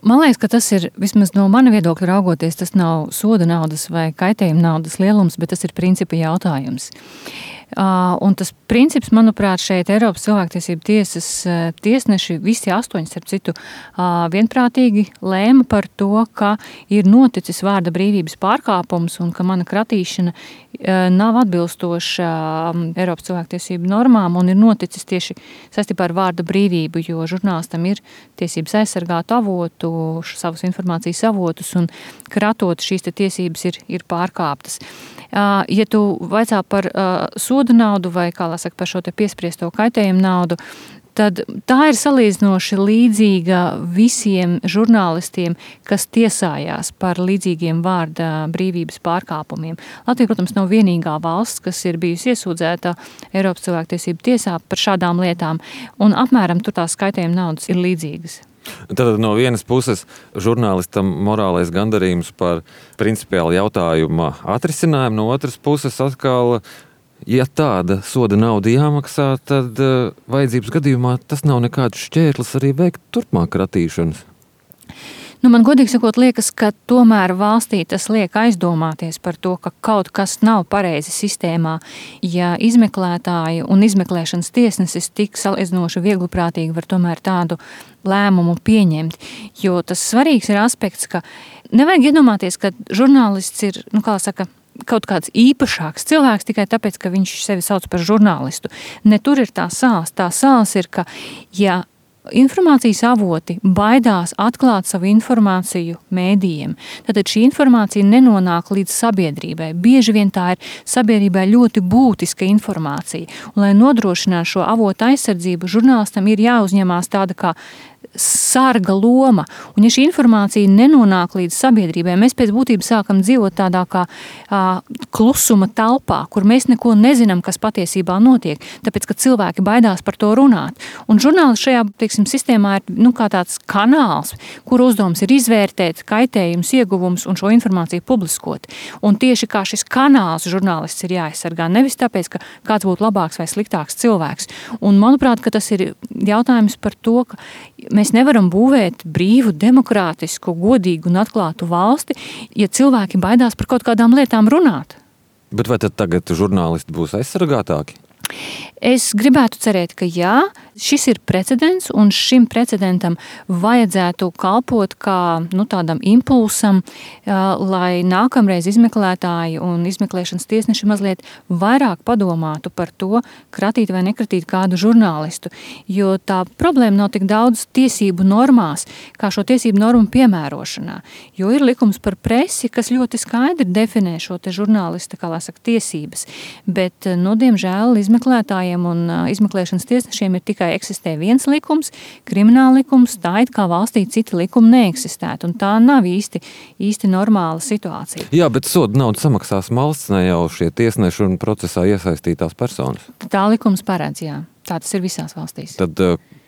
Man liekas, ka tas ir, vismaz no mana viedokļa raugoties, tas nav soda naudas vai kaitējuma naudas lielums, bet tas ir principa jautājums. Un tas princips, manuprāt, šeit Eiropas cilvēktiesību tiesas tiesneši, visi 8, starp citu, vienprātīgi lēma par to, ka ir noticis vārda brīvības pārkāpums un ka mana kratīšana nav atbilstoša Eiropas cilvēktiesību normām un ir noticis tieši saistībā ar vārda brīvību, jo žurnālistam ir tiesības aizsargāt avotu, savus informācijas avotus un kratot šīs tiesības ir pārkāptas. Ja tu vaicā par sodu naudu vai, kā lai saka, par šo te piespriesto kaitējumu naudu, tad tā ir salīdzinoši līdzīga visiem žurnālistiem, kas tiesājās par līdzīgiem vārda brīvības pārkāpumiem. Latvija, protams, nav vienīgā valsts, kas ir bijusi iesūdzēta Eiropas cilvēktiesību tiesā par šādām lietām, un apmēram tur tās kaitējuma naudas ir līdzīgas. Tad no vienas puses žurnālistam morālais gandarījums par principiālu jautājumu atrisinājumu, no otras puses atkal, ja tāda soda nauda jāmaksā, tad vajadzības gadījumā tas nav nekāds šķērlis arī veikt turpmāk kratīšanas. Man godīgi sakot liekas, ka tomēr valstī tas liek aizdomāties par to, ka kaut kas nav pareizi sistēmā, ja izmeklētāji un izmeklēšanas tiesnesis tik salīdzinoši viegliprātīgi var tomēr tādu lēmumu pieņemt. Jo tas svarīgs ir aspekts, ka nevajag iedomāties, ka žurnālists ir, kaut kāds īpašāks cilvēks tikai tāpēc, ka viņš sevi sauc par žurnālistu. Ne tur ir tā sāls. Tā sāls ir, ka ja informācijas avoti baidās atklāt savu informāciju mēdījiem, tad šī informācija nenonāk līdz sabiedrībai. Bieži vien tā ir sabiedrībai ļoti būtiska informācija. Un, lai nodrošinātu šo avotu aizsardzību, žurnālistam ir jāuzņemās tāda kā sarga loma. Un ja šī informācija nenonāk līdz sabiedrībai, mēs pēc būtības sākam dzīvot tādā kā klusuma telpā, kur mēs neko nezinām, kas patiesībā notiek, tāpēc, ka cilvēki baidās par to runāt. Un žurnālists šajā, sistēmā ir kā tāds kanāls, kur uzdevums ir izvērtēt kaitējums, ieguvums un šo informāciju publiskot. Un tieši kā šis kanāls žurnālists ir jāaizsargā, nevis tāpēc, ka kāds būtu labāks vai sliktāks cilvēks. Un manuprāt, ka tas ir jautājums par to, ka mēs nevaram būvēt brīvu, demokrātisku, godīgu un atklātu valsti, ja cilvēki baidās par kaut kādām lietām runāt. Bet vai tad tagad žurnālisti būs aizsargātāki? Es gribētu cerēt, ka jā, šis ir precedents, un šim precedentam vajadzētu kalpot kā tādam impulsam, lai nākamreiz izmeklētāji un izmeklēšanas tiesneši mazliet vairāk padomātu par to, kratīt vai nekratīt kādu žurnālistu, jo tā problēma nav tik daudz tiesību normās, kā šo tiesību normu piemērošanā, jo ir likums par presi, kas ļoti skaidri definē šo te žurnālista, tiesības, bet, diemžēl, izmeklētājiem un izmeklēšanas tiesnešiem ir tikai eksistē viens likums, krimināla likums, tā it kā valstī citi likumi neeksistētu, un tā nav īsti normāla situācija. Jā, bet sodu naudu samaksās valsts, ne jau šie tiesneši un procesā iesaistītās personas. Tā likums paredz, jā. Tā tas ir visās valstīs. Tad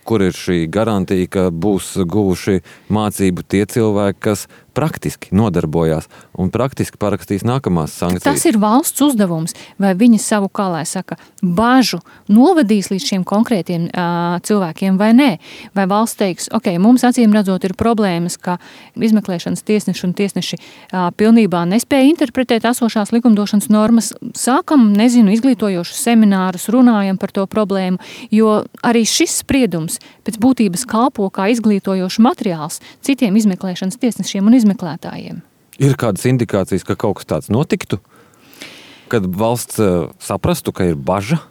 kur ir šī garantija, ka būs guvuši mācību tie cilvēki, kas praktiski nodarbojās un praktiski parakstīs nākamās sankcijas? Tas ir valsts uzdevums, vai viņi savu, bažu novadīs līdz šiem konkrētiem cilvēkiem vai nē. Vai valsts teiks, mums acīm redzot ir problēmas, ka izmeklēšanas tiesneši un tiesneši pilnībā nespēja interpretēt esošās likumdošanas normas. Sākam, izglītojošus seminārus, runājam par to problēmu, jo arī šis spriedums pēc būtības kalpo kā izglītojošs materiāls citiem izmeklēšanas tiesnešiem un izmeklētājiem. Ir kādas indikācijas, ka kaut kas tāds notiktu? Kad valsts saprastu, ka ir baža?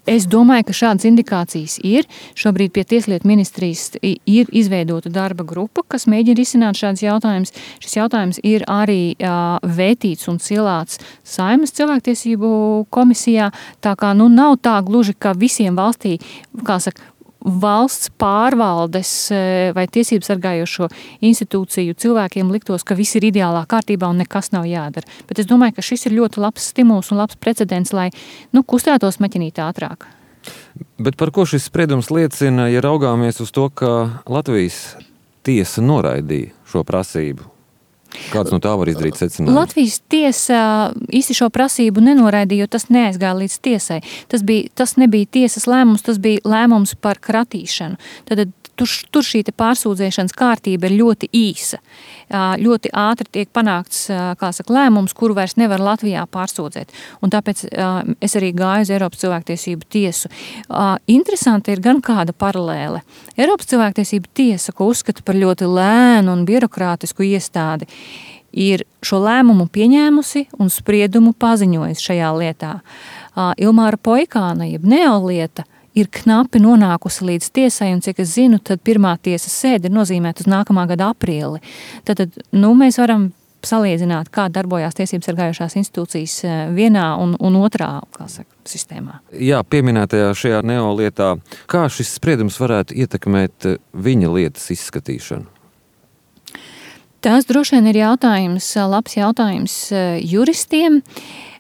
Es domāju, ka šādas indikācijas ir. Šobrīd pie Tieslietu ministrijas ir izveidota darba grupa, kas mēģina risināt šādus jautājumus. Šis jautājums ir arī vētīts un cilāts Saeimas cilvēktiesību komisijā. Tā kā nav tā gluži, ka visiem valstī, valsts pārvaldes vai tiesības sargājošo institūciju cilvēkiem liktos, ka viss ir ideālā kārtībā un nekas nav jādara. Bet es domāju, ka šis ir ļoti labs stimuls un labs precedents, lai kustētos maķinīt ātrāk. Bet par ko šis spriedums liecina, ja raugāmies uz to, ka Latvijas tiesa noraidīja šo prasību? Kāds no tā var izdarīt secinājums? Latvijas tiesa īsti šo prasību nenoraidīja, jo tas neaizgāja līdz tiesai. Tas nebija tiesas lēmums, tas bija lēmums par kratīšanu. Tad tur šī pārsūdzēšanas kārtība ir ļoti īsa. Ļoti ātri tiek panākts, lēmums, kuru vairs nevar Latvijā pārsūdzēt. Un tāpēc es arī gāju uz Eiropas cilvēktiesību tiesu. Interesanti ir gan kāda paralēle. Eiropas cilvēktiesību tiesa, ko uzskata par ļoti lēnu un birokrātisku iestādi, ir šo lēmumu pieņēmusi un spriedumu paziņojusi šajā lietā. Ilmāra Poikāna, jeb neolieta, ir knapi nonākusi līdz tiesai, un cik es zinu, tad pirmā tiesas sēde ir nozīmēta uz nākamā gada aprīli. Tad mēs varam salīdzināt, kā darbojās tiesības sargājošās institūcijas vienā un otrā, sistēmā. Jā, pieminētajā šajā neolietā, kā šis spriedums varētu ietekmēt viņa lietas izskatīšanu? Tas droši vien ir labs jautājums juristiem,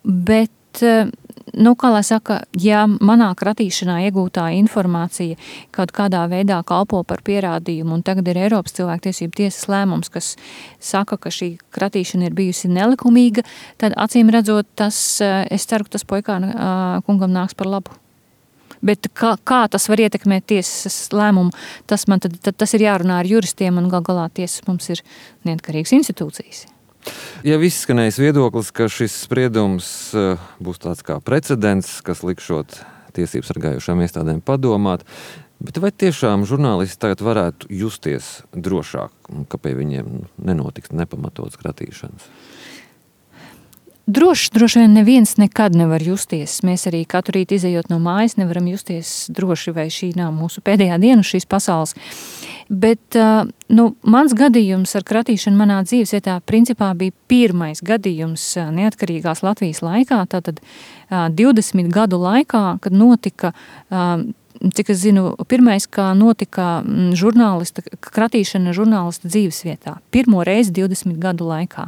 bet kā lai saka, ja manā kratīšanā iegūtā informācija kaut kādā veidā kalpo par pierādījumu, un tagad ir Eiropas cilvēktiesību tiesas lēmums, kas saka, ka šī kratīšana ir bijusi nelikumīga, tad acīm redzot, es ceru, ka tas Poikāna kungam nāks par labu. Bet kā tas var ietekmēt tiesas lēmumu, tas ir jārunā ar juristiem, un gal galā tiesas mums ir neatkarīgas institūcijas. Ja izskanējis viedoklis, ka šis spriedums būs tāds kā precedents, kas likšot tiesības sargājošām iestādēm padomāt, bet vai tiešām žurnālisti tagad varētu justies drošāk, ka pie viņiem nenotiks nepamatotas kratīšanas? Droši vien neviens nekad nevar justies. Mēs arī katru rītu izejot no mājas nevaram justies droši, vai šī nav mūsu pēdējā diena šīs pasaules. Bet mans gadījums ar kratīšanu manā dzīvesvietā principā bija pirmais gadījums neatkarīgās Latvijas laikā, tātad 20 gadu laikā, kad notika, cik es zinu, pirmais, kā notika kratīšana žurnālista dzīvesvietā. Pirmo reizi 20 gadu laikā.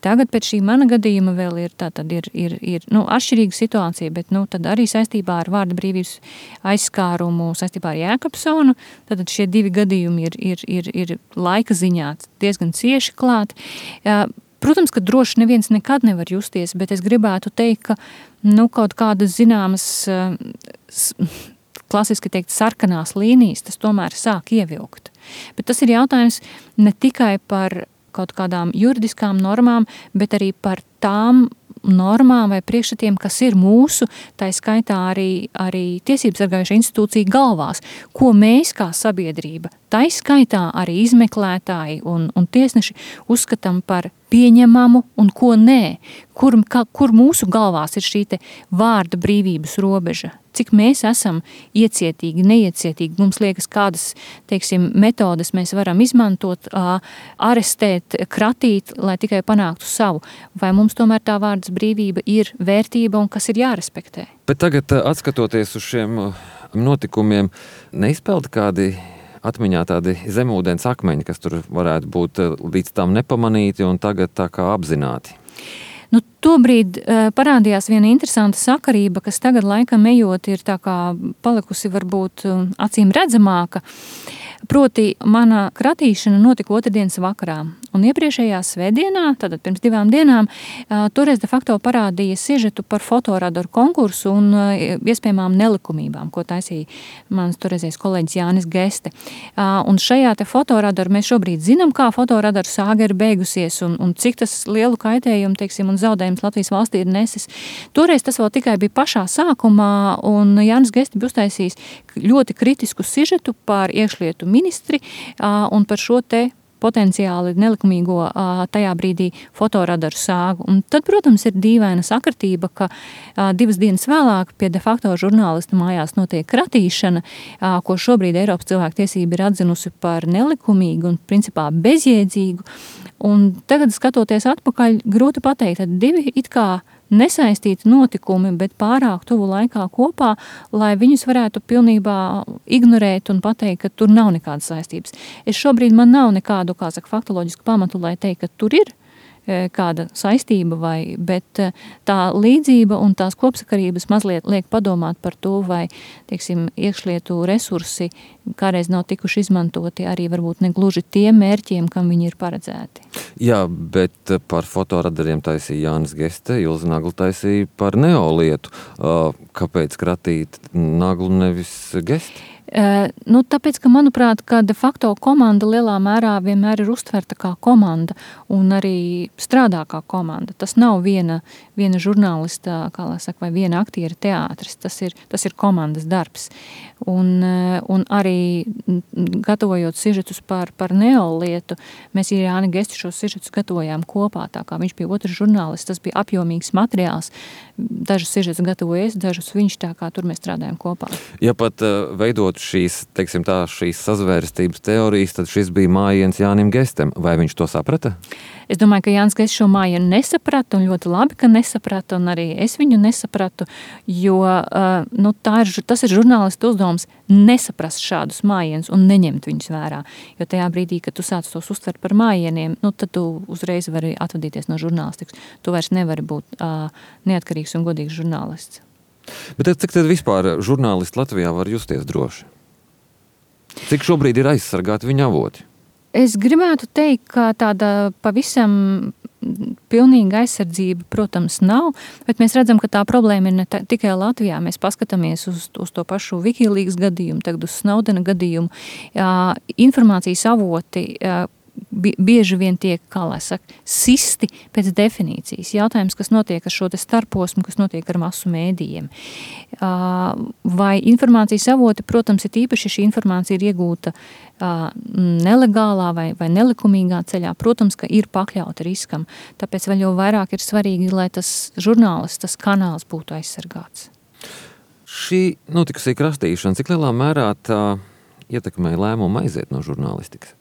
Tagad pēc šī mana gadījuma vēl ir atšķirīga situācija, bet tad arī saistībā ar vārda brīvības aizskārumu, saistībā ar Jēkabsonu, tad šie divi gadījumi ir laika ziņā diezgan cieši klāt. Protams, ka droši neviens nekad nevar justies, bet es gribētu teikt, ka kaut kādas zināmas klasiski teikt sarkanās līnijas, tas tomēr sāk ievilkt. Bet tas ir jautājums ne tikai par kaut kādām juridiskām normām, bet arī par tām normām vai priekšstatiem, kas ir mūsu, tā skaitā arī tiesības sargājošo institūciju galvās, ko mēs kā sabiedrība, tā skaitā arī izmeklētāji un tiesneši uzskatām par pieņemamu un ko nē, kur mūsu galvās ir šī te vārda brīvības robeža, cik mēs esam iecietīgi, neiecietīgi, mums liekas, kādas, metodes mēs varam izmantot, arestēt, kratīt, lai tikai panāktu savu, vai mums tomēr tā vārdas brīvība ir vērtība un kas ir jārespektē. Bet tagad, atskatoties uz šiem notikumiem, neizpelda kādi atmiņā tādi zemūdens akmeņi, kas tur varētu būt līdz tam nepamanīti un tagad tā kā apzināti? Tobrīd parādījās viena interesanta sakarība, kas tagad laikam ejot ir tā kā palikusi varbūt acīm redzamāka. Proti, mana kratīšana notika otrdienas vakarā. Un iepriekšējā svētdienā, tātad pirms 2 dienām, toreiz de facto parādīja sižetu par fotoradaru konkursu un iespējamām nelikumībām, ko taisīja mans toreizējais kolēģis Jānis Geste. Un šajā te fotoradaru mēs šobrīd zinām, kā fotoradaru sāga ir beigusies un cik tas lielu kaitējumu, un zaudējums Latvijas valstī ir nesis. Toreiz tas vēl tikai bija pašā sākumā, un Jānis Geste bija uztaisījis ļoti kritisku sižetu par iekšlietu ministri un par šo te potenciāli nelikumīgo tajā brīdī fotoradaru sāgu. Un tad, protams, ir dīvaina sakritība, ka 2 dienas vēlāk pie de facto žurnālista mājās notiek kratīšana, ko šobrīd Eiropas cilvēktiesība ir atzinusi par nelikumīgu un principā bezjēdzīgu. Un tagad, skatoties atpakaļ, grūti pateikt, tad 2 it kā nesaistīti notikumi, bet pārāk tuvu laikā kopā, lai viņus varētu pilnībā ignorēt un pateikt, ka tur nav nekādas saistības. Šobrīd man nav nekādu, faktoloģisku pamatu, lai teikt, ka tur ir kāda saistība, bet tā līdzība un tās kopsakarības mazliet liek padomāt par to, vai, iekšlietu resursi kādreiz nav tikuši izmantoti arī varbūt negluži tiem mērķiem, kam viņi ir paredzēti. Jā, bet par fotoradariem taisīja Jānis Geste, Ilze Nagla taisīja par neolietu. Kāpēc kratīt Naglu nevis Gesti? Tāpēc, ka, manuprāt, ka de facto komanda lielā mērā vienmēr ir uztverta kā komanda un arī strādā kā komanda. Tas nav viena žurnālista, kā lai saka, vai viena aktiera teātris. Tas ir komandas darbs. Un arī gatavojot sižetus par neolietu, mēs ar Jāni Gesti šos sižetus gatavojām kopā, tā kā viņš bija otrs žurnālists, tas bija apjomīgs materiāls. Dažus sižetus gatavoju es, dažus viņš, tā kā tur mēs strādājam kopā. Ja pat veidot šīs sazvērstības teorijas, tad šis bija mājiens Jānim Gestam. Vai viņš to saprata? Es domāju, ka Jānis Gests šo mājienu nesaprata, un ļoti labi, ka nesaprata, un arī es viņu nesapratu, jo tas ir žurnālistu uzdevums nesaprast šādus mājienus un neņemt viņus vērā. Jo tajā brīdī, kad tu sāc tos uztvert par mājieniem, tad tu uzreiz vari atvadīties no žurnālistikas. Tu vairs nevari būt neatkarīgs un godīgs žurnālists. Bet cik tad vispār žurnālisti Latvijā var justies droši? Cik šobrīd ir aizsargāti viņa avoti? Es gribētu teikt, ka tāda pavisam pilnīga aizsardzība, protams, nav, bet mēs redzam, ka tā problēma ir ne tikai Latvijā. Mēs paskatāmies uz to pašu Wikileaks gadījumu, tagad uz Snowdena gadījumu. Informācijas avoti bieži vien tiek, kā lai saka, sisti pēc definīcijas. Jautājums, kas notiek ar šo te starposmu, kas notiek ar masu mēdījiem. Vai informācijas avoti, protams, ir īpaši, ja šī informācija ir iegūta nelegālā vai nelikumīgā ceļā, protams, ka ir pakļauti riskam. Tāpēc vēl jau vairāk ir svarīgi, lai tas žurnālists, tas kanāls būtu aizsargāts. Šī notikusī krastīšana, cik lielā mērā tā ietekmē lēmumu aiziet no žurnālistikas?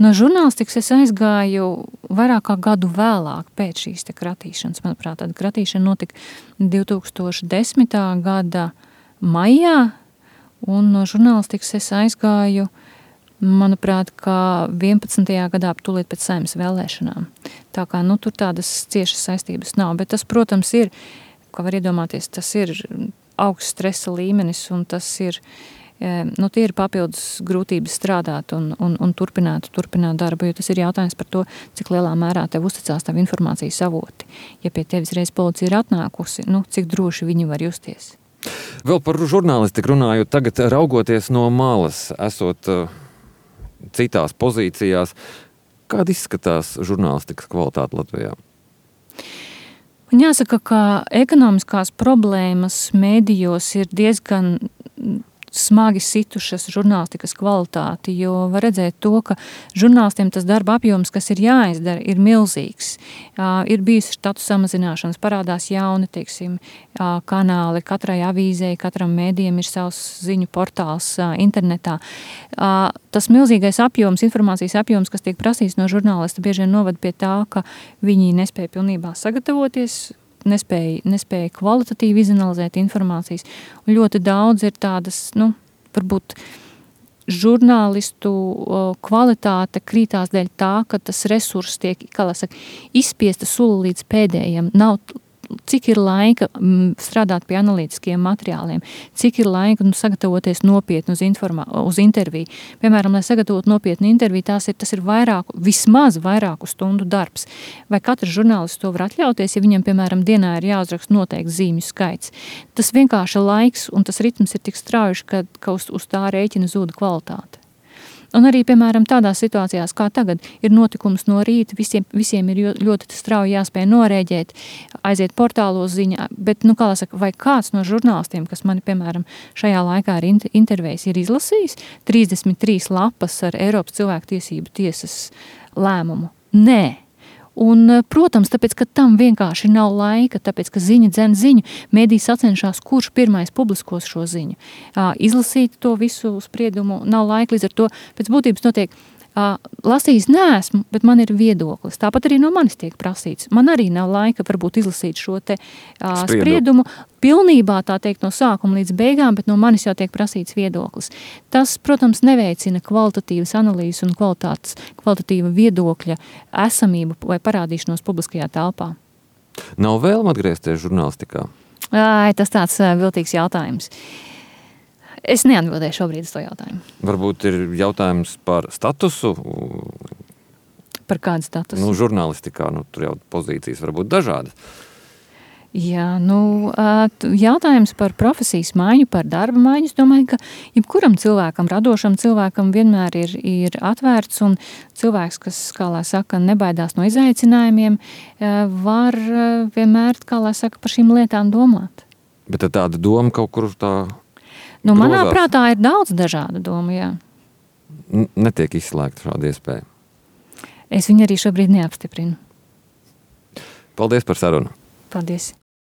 No žurnālistikas es aizgāju vairāk kā gadu vēlāk pēc šīs te kratīšanas. Manuprāt, tāda kratīšana notika 2010. gada maijā, un no žurnālistikas es aizgāju, manuprāt, kā 11. gadā tūlīt pēc Saeimas vēlēšanām. Tā kā, tur tādas ciešas saistības nav, bet tas, protams, ir, kā var iedomāties, tas ir augsts stresa līmenis, un tas ir tie ir papildus grūtības strādāt un turpināt darbu, jo tas ir jautājums par to, cik lielā mērā tev uzticās tavu informācijas avoti. Ja pie tevis reiz policija ir atnākusi, cik droši viņi var justies. Vēl par žurnālistiku runājot, tagad raugoties no malas, esot citās pozīcijās, kāda izskatās žurnālistikas kvalitāte Latvijā? Un jāsaka, ka ekonomiskās problēmas mēdījos ir diezgan smagi situšas žurnālistikas kvalitāti, jo var redzēt to, ka žurnālistiem tas darba apjoms, kas ir jāizdara, ir milzīgs. Ir bijusi štatu samazināšanas, parādās jauni, kanāli, katrai avīzei, katram mēdījam ir savs ziņu portāls internetā. Tas milzīgais apjoms, informācijas apjoms, kas tiek prasīts no žurnālista, bieži vien novad pie tā, ka viņi nespēja pilnībā sagatavoties, nespēja kvalitatīvi izanalizēt informācijas. Un ļoti daudz ir tādas, varbūt žurnālistu kvalitāte krītās dēļ tā, ka tas resurss tiek, kā lai saka, izspiesta sula līdz pēdējiem. Nav cik ir laika strādāt pie analītiskiem materiāliem, cik ir laika sagatavoties nopietni uz interviju. Piemēram, lai sagatavot nopietnu interviju, tas ir vismaz vairāku stundu darbs. Vai katrs žurnālists to var atļauties, ja viņam, piemēram, dienā ir jāuzraksta noteikts zīmju skaits. Tas vienkārši laiks un tas ritms ir tik strauji, ka uz tā rēķina zūda kvalitāte. Un arī, piemēram, tādās situācijās, kā tagad, ir notikums no rīta, visiem ir ļoti strauji jāspēj norēģēt, aiziet portālos ziņā, bet, kā lai saka, vai kāds no žurnālistiem, kas mani, piemēram, šajā laikā ir intervējis, ir izlasījis 33 lapas ar Eiropas cilvēktiesību tiesas lēmumu? Nē. Un, protams, tāpēc, ka tam vienkārši nav laika, tāpēc, ka ziņa dzen ziņu, mēdī sacenšās, kurš pirmais publiskos šo ziņu. Izlasīt to visu spriedumu nav laika, līdz ar to pēc būtības notiek lasījis neesmu, bet man ir viedoklis. Tāpat arī no manis tiek prasīts. Man arī nav laika varbūt izlasīt šo te spriedumu pilnībā, tā teikt, no sākuma līdz beigām, bet no manis jau tiek prasīts viedoklis. Tas, protams, neveicina kvalitatīvas analīzes un kvalitatīva viedokļa esamību vai parādīšanos publiskajā telpā. Nav vēlme atgriezties žurnālistikā? Tas tāds viltīgs jautājums. Es neatbildēju šobrīd uz to jautājumu. Varbūt ir jautājums par statusu? Par kādu statusu? Žurnālistikā, tur jau pozīcijas var būt dažādas. Jā, jautājums par profesijas maiņu, par darba maiņu, es domāju, ka jebkuram cilvēkam, radošam cilvēkam vienmēr ir atvērts, un cilvēks, kas, kā lai saka, nebaidās no izaicinājumiem, var vienmēr, kā lai saka, par šīm lietām domāt. Bet tāda doma kaut kur tā manā prātā ir daudz dažādu domu, jā. Netiek izslēgta šāda iespēja. Es viņu arī šobrīd neapstiprinu. Paldies par sarunu. Paldies.